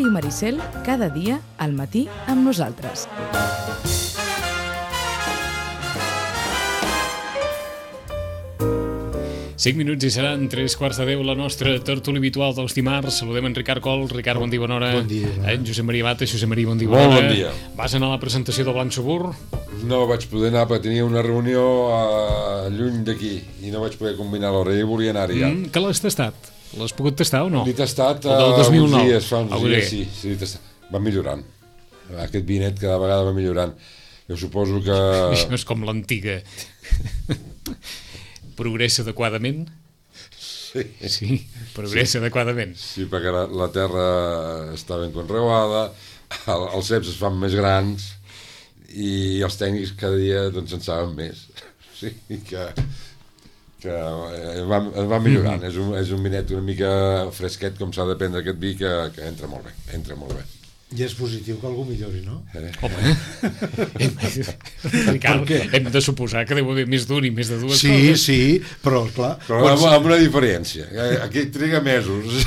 Ràdio Maricel, cada dia al matí amb nosaltres. Cinc minuts i seran 3:15 la nostra tertúlia habitual dels dimarts. Saludem en Ricard Col. Ricard, bon dia, bona hora. Bon dia. En Josep Maria Bata. Josep Maria, bon dia, bona hora. Bon dia. Vas anar a la presentació del Blanc Subur? No vaig poder anar perquè tenia una reunió lluny d'aquí i no vaig poder combinar l'hora i volia anar-hi ja. Que l'has tastat? L'has pogut tastar o no? L'he tastat del 2009. uns dies, fa uns dies, sí, l'he tastat. Va millorant. Aquest vinet cada vegada va millorant. Jo suposo que... Això és com l'antiga. Progressa adequadament? Sí, progressa adequadament. Sí, perquè la terra està ben conreada, els ceps es fan més grans i els tècnics cada dia doncs en saben més. Sí, que va millorant. És un vinet una mica fresquet, com s'ha de prendre aquest vi, que entra molt bé, entra molt bé. I és positiu que algú millori, no? Home, Ricard, hem de suposar que deu haver més d'un i més de dues coses. Sí, però clar... Però amb una diferència. Aquí triga mesos.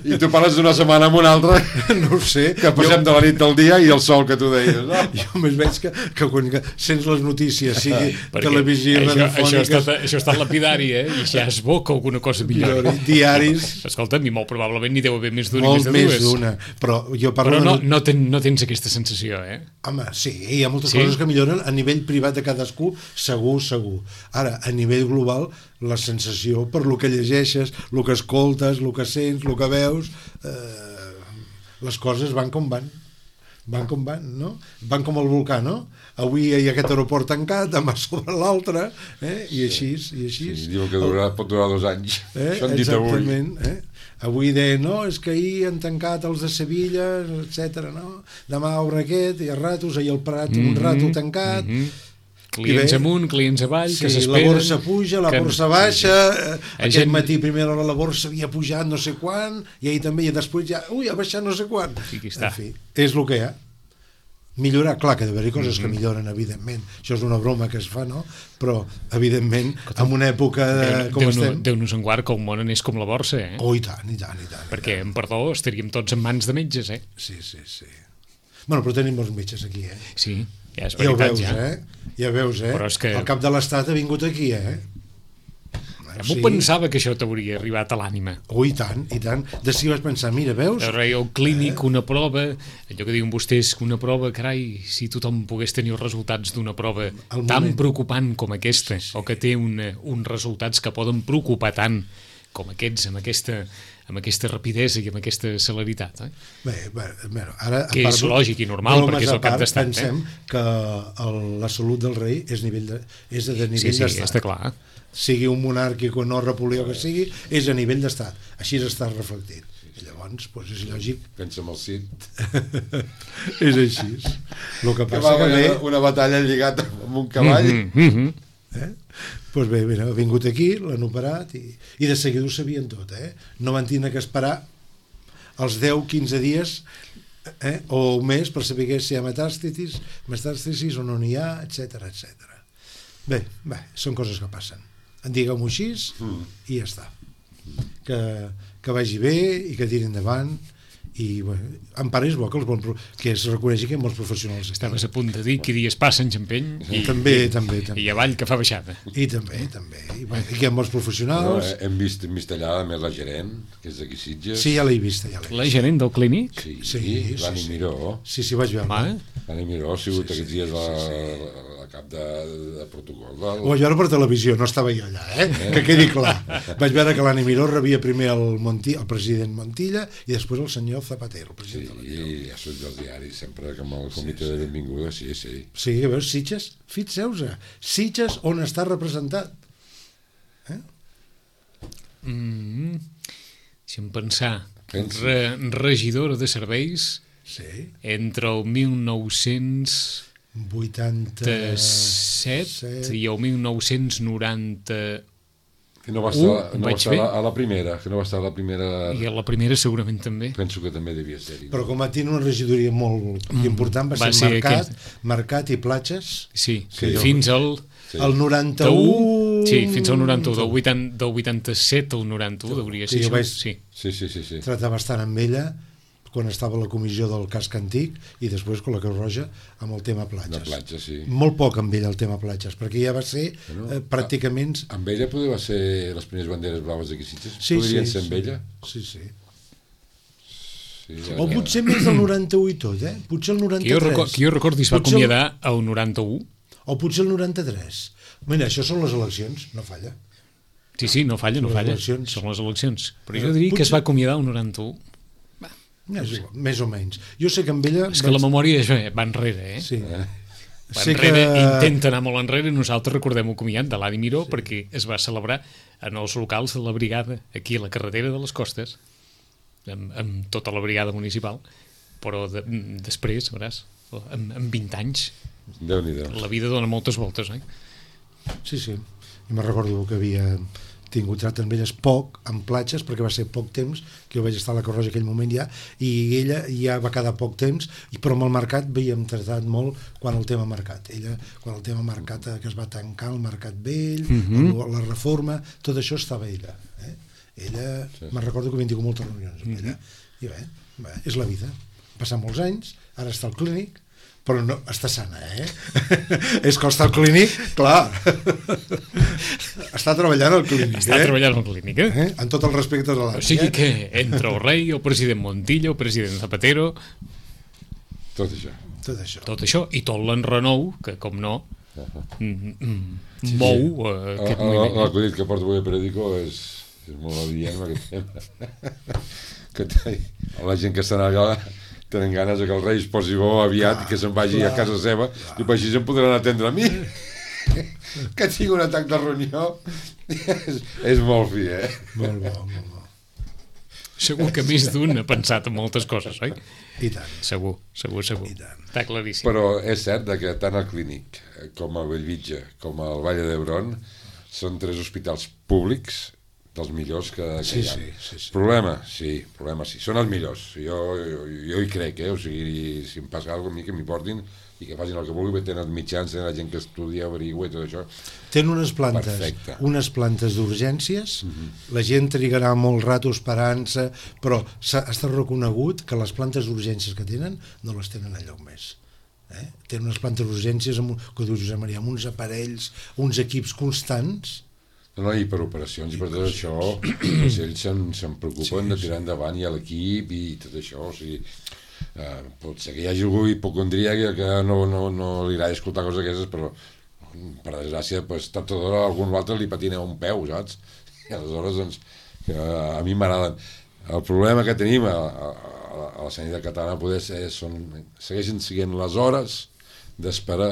I tu parles d'una setmana amb una altra, no ho sé. Que passem de la nit al dia i el sol que tu deies, no? Jo més veig que quan sents les notícies, sigui televisió, radiofòniques... Això ha estat lapidari, I ja es bo que alguna cosa millori. Diaris... Escolta, a mi molt probablement n'hi deu haver més d'una i més de dues. Molt més d'una, però jo parlo... Però no tens aquesta sensació, Home, sí, hi ha moltes coses que milloren a nivell privat de cadascú, segur. Ara, a nivell global, la sensació per lo que llegeixes, lo que escoltes, lo que sents, lo que veus, les coses van com van. Van com van, no? Van com el volcà, no? Avui hi ha aquest aeroport tancat, demà sobre l'altre, i així. Sí, diuen que pot durar 2 anys. Això han dit avui. Exactament, Avui deien, no, és que ahir han tancat els de Sevilla, etc. No? Demà obre aquest, i a ratos, ahir al Prat, un rato tancat... Clients amunt, clients avall, que s'esperen... la borsa puja, la borsa baixa, aquest matí primera hora la borsa havia pujat no sé quan, i ahir també, i després ja, ha baixat no sé quan. En fi, és el que hi ha. Millorar, clar que ha d'haver-hi coses que milloren, evidentment. Això és una broma que es fa, no? Però, evidentment, en una època com estem... Déu-nos en guard que el món anés com la borsa, Oh, i tant. Perquè, perdó, estaríem tots en mans de metges, Sí. Bueno, però tenim molts metges aquí, Sí, ja és veritat, Ja veus, Però és que... El cap de l'Estat ha vingut aquí, M'ho pensava que això t'hauria arribat a l'ànima. I tant. De si vaig pensar, mira, veus? El clínic, una prova, allò que diuen vostès, que una prova, carai, si tothom pogués tenir els resultats d'una prova tan preocupant com aquesta, o que té uns resultats que poden preocupar tant com aquests, amb aquesta rapidesa i amb aquesta celeritat. Bé, ara... Que és lògic i normal, perquè és el cap d'estat. Pensem que la salut del rei és de nivell d'estat. Sí, està clar. Sigui un monàrquic o no Napoleó que sigui, és a nivell d'estat. Així està reflectit. I llavors, és lògic. Pensa en el Cid. És així. El que passa que ve... Una batalla lligat amb un cavall. Doncs bé, ha vingut aquí, l'han operat i de seguida ho sabien tot. No van tenir que esperar els 10-15 dies o un mes per saber si hi ha metàstasis o no n'hi ha, etc. Bé, són coses que passen. Digueu-m'ho així i ja està. Que vagi bé i que tiri endavant. I en part és bo que es reconegui que hi ha molts professionals. Estaves a punt de dir que dies passen xampeny també. I avall que fa baixada. I també. I que hi ha molts professionals. Hem vist allà a més la gerent, que és d'aquí Sitges. Sí, ja l'he vista. La gerent del clínic? Sí, l'Ani Miró. Sí, vaig veure. L'Ani Miró ha sigut aquests dies la cap de protocol. Ho vaig veure per televisió, no estava jo allà, que quedi clar. Vaig veure que l'Ani Miró rebia primer el president Montilla i després el senyor Zapatero, el president de la Unió. Sí, ja surt dels diaris, sempre amb el comitè de benvinguda, sí. Sí, que veus, Sitges, fixeu-vos, Sitges on està representat. Deixa'm pensar, regidora de serveis entre el 1987 i el 1990... Que no va estar a la primera. I a la primera segurament també. Penso que també devia ser-hi. Però com va tenir una regidoria molt important, va ser Mercat i Platges. Sí, fins al... El 91... Sí, fins al 91, del 87 al 91 hauria ser. Sí. Tractar bastant amb ella, quan estava a la comissió del casc antic i després con la Creu Roja amb el tema platges. De platja, sí. Molt poc amb ell el tema platges, perquè ja va ser pràcticament... Amb ella podria ser les primeres banderes blaves d'aquí Sitges? Sí, podrien ser amb ella? Sí, sí. Sí, O potser més del 91 i tot, Potser el 93. Que jo recordi es va acomiadar al 91. O potser el 93. Mira, això són les eleccions, no falla. Sí, no falla, no Les falla. eleccions. Són les eleccions. Però jo diria que es va acomiadar al 91. Més o menys. Jo sé que amb ella... És que la memòria va enrere, Sí. Va Sé enrere, que... intenta anar molt enrere, nosaltres recordem el comiat de l'Adi Miró perquè es va celebrar en els locals de la brigada, aquí a la carretera de les Costes, amb tota la brigada municipal, però després, veuràs, amb 20 anys, Déu-n'hi-do. la vida dona moltes voltes, Sí. I me'n recordo que havia tingut tracte amb elles poc, en platges, perquè va ser poc temps, que jo vaig estar a la Creu Roja aquell moment ja, i ella ja va quedar poc temps, però amb el mercat havíem tratat molt quan el tema mercat. Ella, quan el tema mercat que es va tancar, el mercat vell, la reforma, tot això estava ella. Ella, me'n recordo que havien tingut moltes reunions amb ella. I bé, és la vida. Passar molts anys, ara està al clínic, però no, està sana, És que està al clínic, clar. Està treballant al clínic, Està treballant al clínic, En tot el respecte a l'any. O sigui que entre el rei, el president Montilla, el president Zapatero... Tot això. Tot això, i tot l'enrenou, que com no, mou aquest moviment. L'acudit que porto avui a Periódico és molt adient amb aquest tema. Que la gent que estan allà tenen ganes que el rei es posi bo aviat i que se'n vagi a casa seva i així se'n podran atendre a mi. Que tinc un atac de ronyó és molt fi, Molt bo. Segur que més d'un ha pensat en moltes coses, oi? I tant. Segur. Està claríssim. Però és cert que tant el Clínic com el Bellvitge com el Vall d'Hebron són 3 hospitals públics dels millors que hi ha. Sí. Problema, sí, són els millors. Jo hi crec, O sigui, si em passa alguna cosa, que m'hi portin i que facin el que vulgui, tenen mitjans, tenen la gent que estudia, averigua i tot això. Tenen unes plantes d'urgències, la gent trigarà molt rato esperant-se, però està reconegut que les plantes d'urgències que tenen no les tenen enlloc més. Tenen unes plantes d'urgències, que dius Josep Maria, amb uns aparells, uns equips constants. No, i per operacions i per tot això, doncs ells se'n preocupen de tirar endavant i a l'equip i tot això, o sigui, pot ser que hi hagi algú hipocondríac que no li agrada escoltar coses d'aquestes, però per desgràcia, tard o d'hora a algun altre li patina un peu, saps? I aleshores, doncs, a mi m'agraden. El problema que tenim a la sanitat catalana poder ser, segueixen sent les hores d'esperar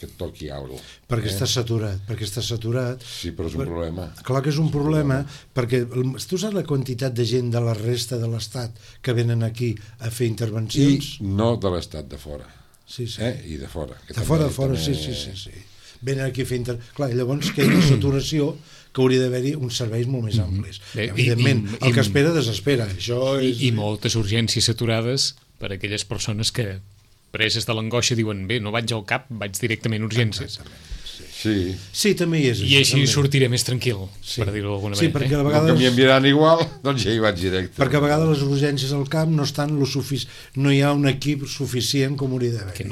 que et toqui alguna cosa. Perquè està saturat. Sí, però és un problema. Clar que és un problema, perquè tu saps la quantitat de gent de la resta de l'Estat que venen aquí a fer intervencions? I no de l'Estat, de fora. Sí. I de fora. De fora, sí. Venen aquí a fer intervencions. Clar, llavors que hi ha una saturació que hauria d'haver-hi uns serveis molt més amplis. Evidentment, el que espera desespera. I moltes urgències saturades per a aquelles persones que preses de l'angoixa diuen, bé, no vaig al CAP, vaig directament a urgències. Sí, també hi és això. I així sortiré més tranquil, per dir-ho d'alguna manera. Sí, perquè a vegades... Que m'hi enviaran igual, doncs ja hi vaig directe. Perquè a vegades les urgències al CAP no estan no hi ha un equip suficient com hauria d'haver. Que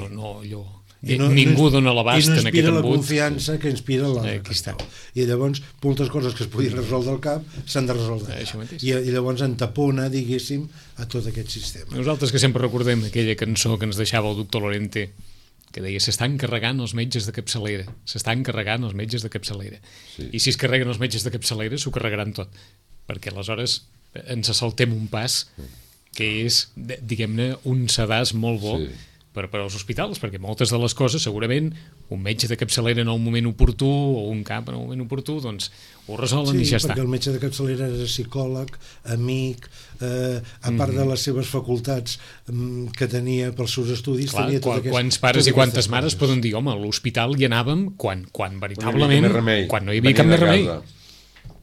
ningú dona l'abast en aquest embut. I no inspira la confiança que inspira l'altre. I llavors, moltes coses que es podien resoldre al CAP s'han de resoldre allà. I llavors entapona, diguéssim, a tot aquest sistema. Nosaltres que sempre recordem aquella cançó que ens deixava el doctor Lorente, que deia, s'estan carregant els metges de capçalera, i si es carreguen els metges de capçalera s'ho carregaran tot, perquè aleshores ens saltem un pas que és, diguem-ne, un sedàs molt bo per als hospitals, perquè moltes de les coses segurament un metge de capçalera en un moment oportú o un CAP en un moment oportú, doncs ho resolen i ja està. Sí, perquè el metge de capçalera era psicòleg, amic, a part de les seves facultats que tenia pels seus estudis. Clar, quants pares i quantes mares poden dir, home, a l'hospital hi anàvem quan veritablement, quan no hi havia cap més remei.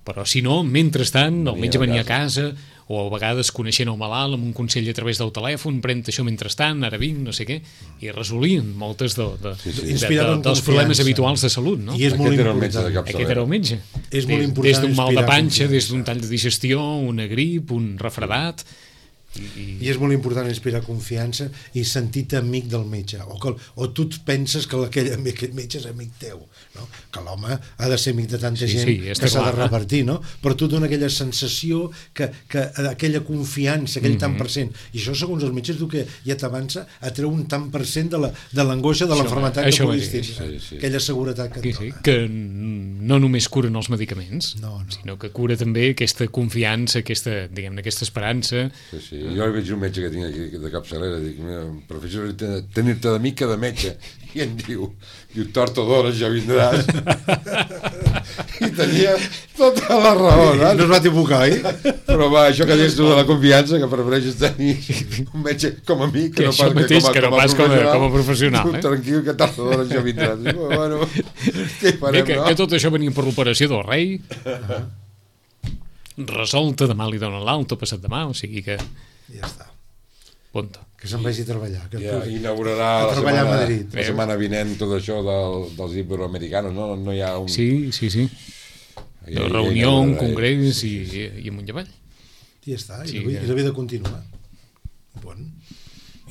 Però si no, mentrestant, el metge venia a casa, o a vegades coneixent el malalt amb un consell a través del telèfon, pren això mentrestant, ara vinc, no sé què, i resolien moltes dels problemes habituals de salut, no? I és molt important. Aquest era el metge. És molt important. Des d'un mal de panxa, des d'un tall de digestió, una grip, un refredat, I és molt important inspirar confiança i sentir-te amic del metge, o tu penses que aquell metge és amic teu, no? Que l'home ha de ser amic de tanta gent que s'ha de repartir, no? Però tu dona aquella sensació, que aquella confiança, aquell tant per cent, i això segons els metges que ja t'avança atreu un tant per cent de l'angoixa de l'enfermetat que puguis tenir, aquella seguretat que et dona. Que no només curen els medicaments, sinó que cura també aquesta confiança, aquesta esperança. Jo hi veig un metge que tinc aquí de capçalera, dic, prefereixo tenir-te d'amic que de metge, i em diu torta d'hores ja vindràs. I tenia tota la raó, no es va equivocar, però va, això que dius tu de la confiança, que prefereixes tenir un metge com a amic que no pas com a professional. Tranquil, que torta d'hores ja vindràs. Bueno, què farem, no? Que tot això venia per l'operació del rei, resolta, demà li donen l'alta, passat demà, o sigui que... Ja està. Punto. Que se'n vagi a treballar. Inaugurarà la setmana vinent tot això dels iberoamericanos, no? No hi ha un... Sí. De reunió, un congrés i amunt i avall. I ja està, i la vida continua. Bon.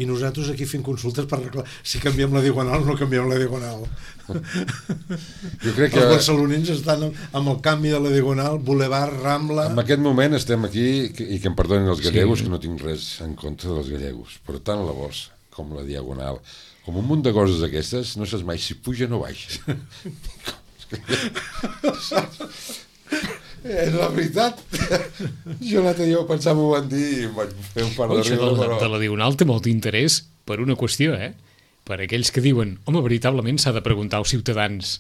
I nosaltres aquí fent consultes per arreglar si canviem la diagonal o no canviem la diagonal. Jo crec que els barcelonins estan amb el canvi de la diagonal, Boulevard, Rambla... En aquest moment estem aquí, i que em perdonin els gallegos, que no tinc res en contra dels gallegos, però tant la borsa com la diagonal, com un munt de coses aquestes, no saps mai si puja o baixa. És la veritat. Jo l'altre dia ho pensava, m'ho van dir i em vaig fer un par de riure, però... De la diagonal té molt interès per una qüestió, per aquells que diuen, home, veritablement s'ha de preguntar als ciutadans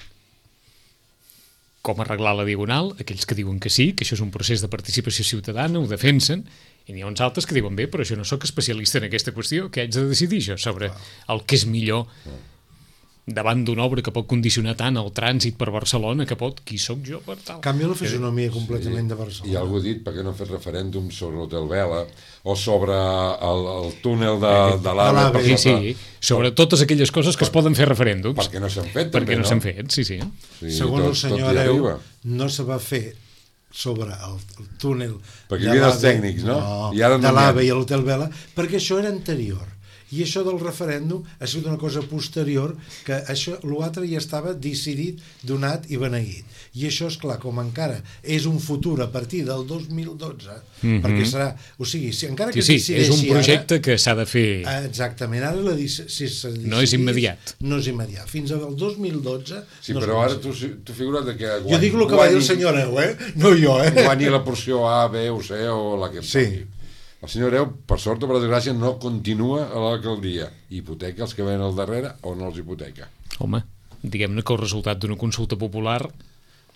com arreglar la diagonal, aquells que diuen que sí, que això és un procés de participació ciutadana, ho defensen, i n'hi ha uns altres que diuen, bé, però jo no sóc especialista en aquesta qüestió, que haig de decidir jo sobre el que és millor davant d'una obra que pot condicionar tant el trànsit per Barcelona que pot, qui sóc jo per tal. Canvia la fisonomia completament de Barcelona. I algú ha dit, per què no han fet referèndum sobre l'Hotel Vela o sobre el túnel de l'AVE? Sí, sobre totes aquelles coses que es poden fer referèndums. Perquè no s'han fet, també, no? Perquè no s'han fet, sí. Segons el senyor Areu, no se va fer sobre el túnel perquè hi havia els tècnics, no? De l'AVE i l'Hotel Vela, perquè això era anterior. I això del referèndum ha sigut una cosa posterior, que això, l'altre ja estava decidit, donat i beneït. I això, és clar, com encara és un futur a partir del 2012, perquè serà... O sigui, si encara que decideixi és un projecte que s'ha de fer... Exactament, ara no és immediat. No és immediat. Fins al 2012... Sí, però ara tu figura't que... Jo dic el que va dir el senyor Areu, no jo, Guanyi la porció A, B o C o la que... Sí. El senyor Areu, per sort o per desgràcia, no continua a l'alcaldia. Hipoteca els que venen al darrere o no els hipoteca? Home, diguem-ne que el resultat d'una consulta popular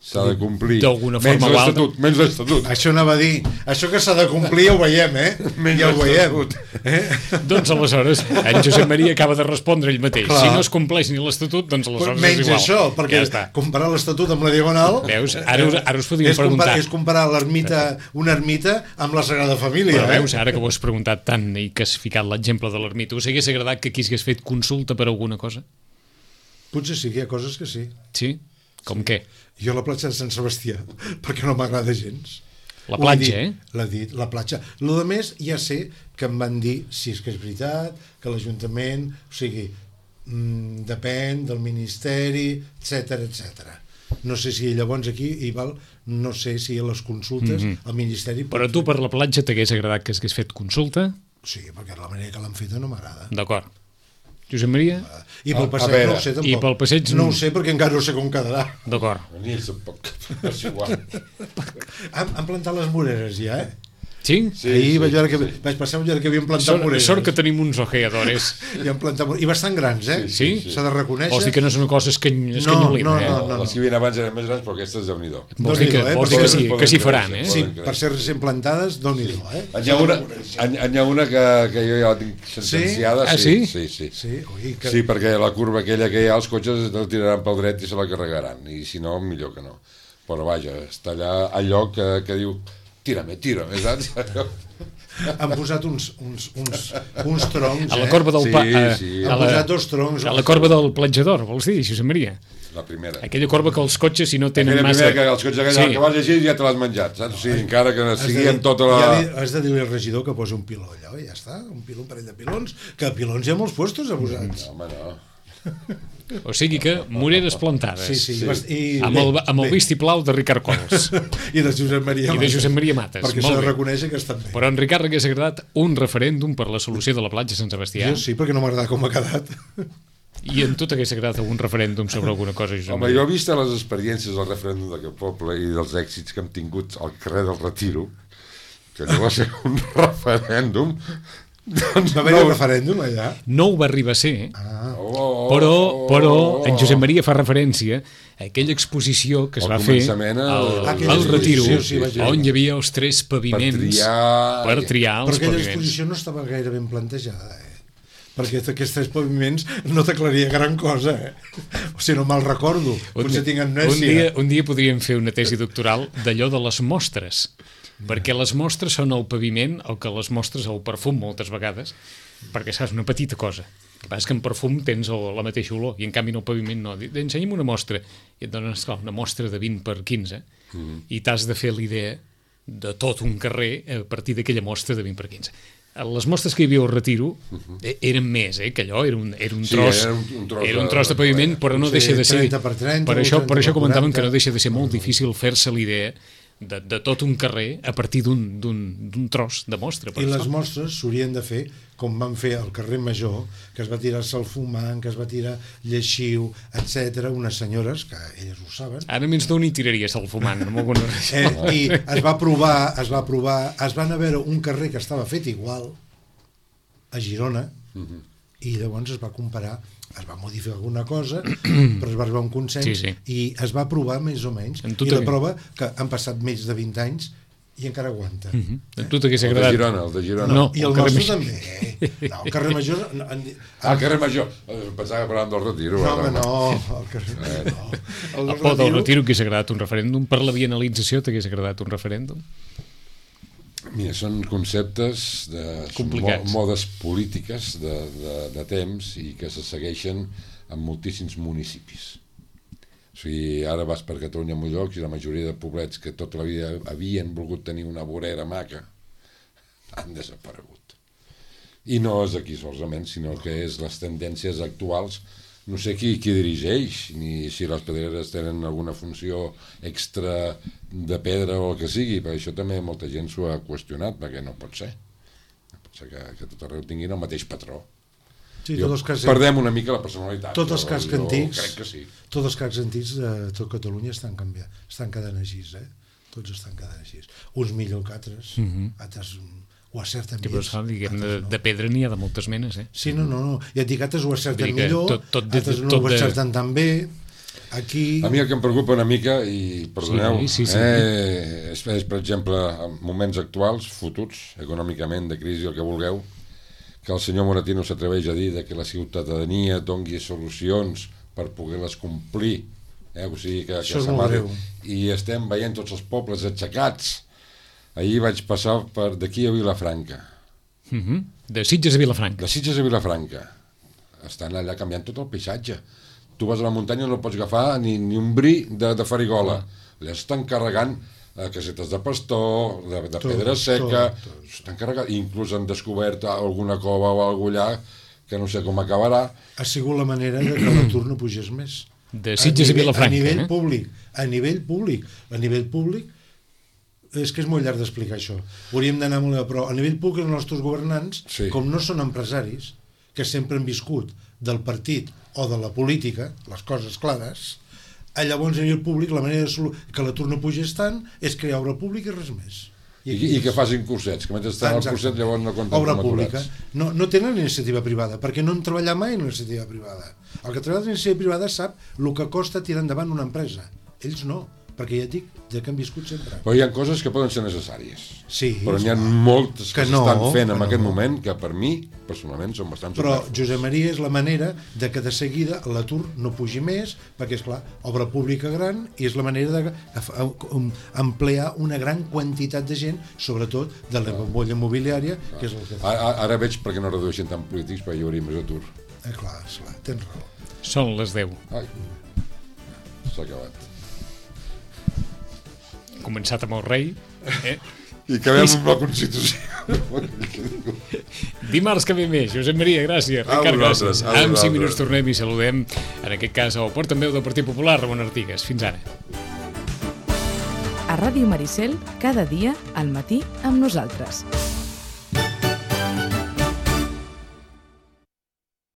s'ha de complir. D'alguna forma o altra. Menys l'estatut. Això anava a dir. Això que s'ha de complir ja ho veiem, ja ho veiem. Doncs aleshores, en Josep Maria acaba de respondre ell mateix. Clar. Si no es compleix ni l'estatut, doncs aleshores menys és igual. Menys això, perquè comparar l'estatut amb la diagonal... Veus? Ara us podíem preguntar... És comparar una ermita amb la Sagrada Família. Però veus, ara que ho has preguntat tant i que has ficat l'exemple de l'ermita, us hagués agradat que aquí s'hagués fet consulta per alguna cosa? Potser sí, hi ha coses que sí. Sí? Com què? Jo a la platja de Sant Sebastià, perquè no m'agrada gens. La platja, L'ha dit, la platja. Lo de més ja sé que em van dir, si és que és veritat, que l'Ajuntament, o sigui, depèn del Ministeri, etc. No sé si llavors aquí hi val, no sé si a les consultes el Ministeri... Però tu per la platja t'hagués agradat que s'hagués fet consulta? Sí, perquè la manera que l'han feta no m'agrada. D'acord. Josep Maria? I pel passeig no ho sé tampoc. I pel passeig... No ho sé perquè encara no sé com quedarà. D'acord. Ni ells tampoc. És igual. Han plantat les moreres ja, Sí? Ahir vaig passar un lloc que havien plantat moreres. Sort que tenim uns ojeadores. I bastant grans, Sí? S'ha de reconèixer. Vols dir que no són coses escanyolines, No. Les que havien abans eren més grans, però aquestes, Déu-n'hi-do. Vols dir que s'hi faran, Sí, per ser recent plantades, Déu-n'hi-do, N'hi ha una que jo ja la tinc sentenciada. Sí? Sí, perquè la curva aquella que hi ha, els cotxes la tiraran pel dret i se la carregaran, i si no, millor que no. Però vaja, està allà al lloc que diu tírame, saps? Han posat uns troncs, A la corba del... Han posat 2 troncs. A la corba del platjador, vols dir, Josep Maria? La primera. Aquella corba que els cotxes, si no tenen Aquella massa... primera que els cotxes que vas llegir ja te l'has menjat, saps? O sigui, encara que sigui amb tota la... Has de dir-li al regidor que posi un piló allò, i ja està, un parell de pilons, que pilons hi ha molts puestos a posats. No, home, no. O sigui que moreres plantades. Sí. Amb el vistiplau de Ricard Cols. I de Josep Maria Mates. Perquè s'ha de reconèixer que estan bé. Però en Ricard hagués agradat un referèndum per la solució de la platja Sant Sebastià. Jo sí, perquè no m'agrada com ha quedat. I en tu t'hagués agradat un referèndum sobre alguna cosa, Josep Home, Maria? jo he vist les experiències del referèndum d'aquest poble i dels èxits que hem tingut al carrer del Retiro, que no va ser un referèndum. Doncs va haver un referèndum allà? No ho va arribar a ser, però en Josep Maria fa referència a aquella exposició que es va fer al Retiro, on hi havia els 3 paviments per triar els paviments. Però aquella exposició no estava gaire ben plantejada, perquè aquests 3 paviments no t'aclaria gran cosa, O sigui, no me'l recordo, potser tinc amnèsia. Un dia podríem fer una tesi doctoral d'allò de les mostres, perquè les mostres són el paviment, el que les mostres el perfum moltes vegades, perquè saps, una petita cosa. El que passa és que en perfum tens la mateixa olor, i en canvi en el paviment no. Ensenya'm una mostra, i et dones una mostra de 20 per 15, i t'has de fer l'idea de tot un carrer a partir d'aquella mostra de 20 per 15. Les mostres que hi havia al Retiro eren més, que allò era un tros, era un tros de paviment, però no deixa de ser... 30 per 30, per això comentàvem que no deixa de ser molt difícil fer-se l'idea de tot un carrer a partir d'un tros de mostra. I les mostres s'haurien de fer com van fer al carrer Major, que es va tirar-se el fumant, que es va tirar lleixiu, etc. Unes senyores, que elles ho saben. Ara menys d'on hi tiraries el fumant, amb alguna raó. I es va provar, es van a veure un carrer que estava fet igual a Girona, i llavors es va comparar, es va modificar alguna cosa, però es va arribar a un consens, i es va provar més o menys, i la prova que han passat més de 20 anys i encara aguanta. A tu t'hagués agradat? El de Girona. No, i el nostre també. No, el carrer Major... El carrer Major. Pensava que parlàvem del Retiro. No, home, no. El carrer Major no. El Pont del Retiro t'hagués agradat un referèndum? Per la bienalització t'hagués agradat un referèndum? Mira, són conceptes modes polítiques de temps i que se segueixen en moltíssims municipis. O sigui, ara vas per Catalunya en molts llocs i la majoria de poblets que tota la vida havien volgut tenir una vorera maca han desaparegut. I no és aquí solament, sinó que és les tendències actuals. No sé qui dirigeix, ni si les pedreres tenen alguna funció extra de pedra o el que sigui, perquè això també molta gent s'ho ha qüestionat, perquè no pot ser. No pot ser que tot arreu tinguin el mateix patró. Sí, perdem una mica la personalitat. Tots els cascs antics, crec que sí. Tots els cascs antics de tot Catalunya estan canviant, estan quedant així, Tots estan quedant així. Uns millor que altres, altres ho acerten més. De pedra n'hi ha de moltes menes, Sí, no. I et dic, altres ho acerten millor, altres no ho acerten tan bé. Aquí... A mi el que em preocupa una mica, i perdoneu, és, per exemple, en moments actuals, fututs, econòmicament, de crisi, el que vulgueu, que el senyor Moratino s'atreveix a dir que la ciutadania dongui solucions per poder-les complir, o sigui que això és molt greu. I estem veient tots els pobles aixecats. Ahir vaig passar d'aquí a Vilafranca. De Sitges a Vilafranca. De Sitges a Vilafranca. Estan allà canviant tot el paisatge. Tu vas a la muntanya i no pots agafar ni un bri de farigola. Allà estan carregant casetes de pastor, de pedra seca, estan carregant. Inclús han descobert alguna cova o alguna allà que no sé com acabarà. Ha sigut la manera que l'atur no pugés més. De Sitges a Vilafranca. A nivell públic. A nivell públic, és que és molt llarg d'explicar això. Hauríem d'anar molt a prou. A nivell públic, els nostres governants, com no són empresaris, que sempre han viscut del partit o de la política, les coses clares, llavors a nivell públic la manera que l'atur no pugés tant és crear obra pública i res més. I que facin cursets, que mentre estan al curset llavors no compten obra pública. No tenen iniciativa privada, perquè no han treballat mai en iniciativa privada. El que treballa en iniciativa privada sap el que costa tirar endavant una empresa. Ells no. perquè ja et dic, de que han viscut sempre. Però hi ha coses que poden ser necessàries. Sí, però n'hi ha moltes que no, s'estan fent en que aquest no. moment que per mi, personalment, són bastant Però, superflus. Josep Maria, és la manera de que de seguida l'atur no pugi més, perquè, és clar, obra pública gran, i és la manera d'emplear una gran quantitat de gent, sobretot de la bombolla immobiliària, que és el que... Ara veig per què no redueixen tant polítics, perquè hi hauria més atur. Clar, tens raó. Són les 10. Ai, s'ha acabat. Començat amb el rei. I acabem amb la Constitució. Dimarts que ve més. Josep Maria, gràcies. Ricard, gràcies. A vosaltres. En 5 minuts tornem i saludem, en aquest cas, el portaveu del Partit Popular, Ramon Artigas. Fins ara. A Ràdio Maricel, cada dia, al matí, amb nosaltres.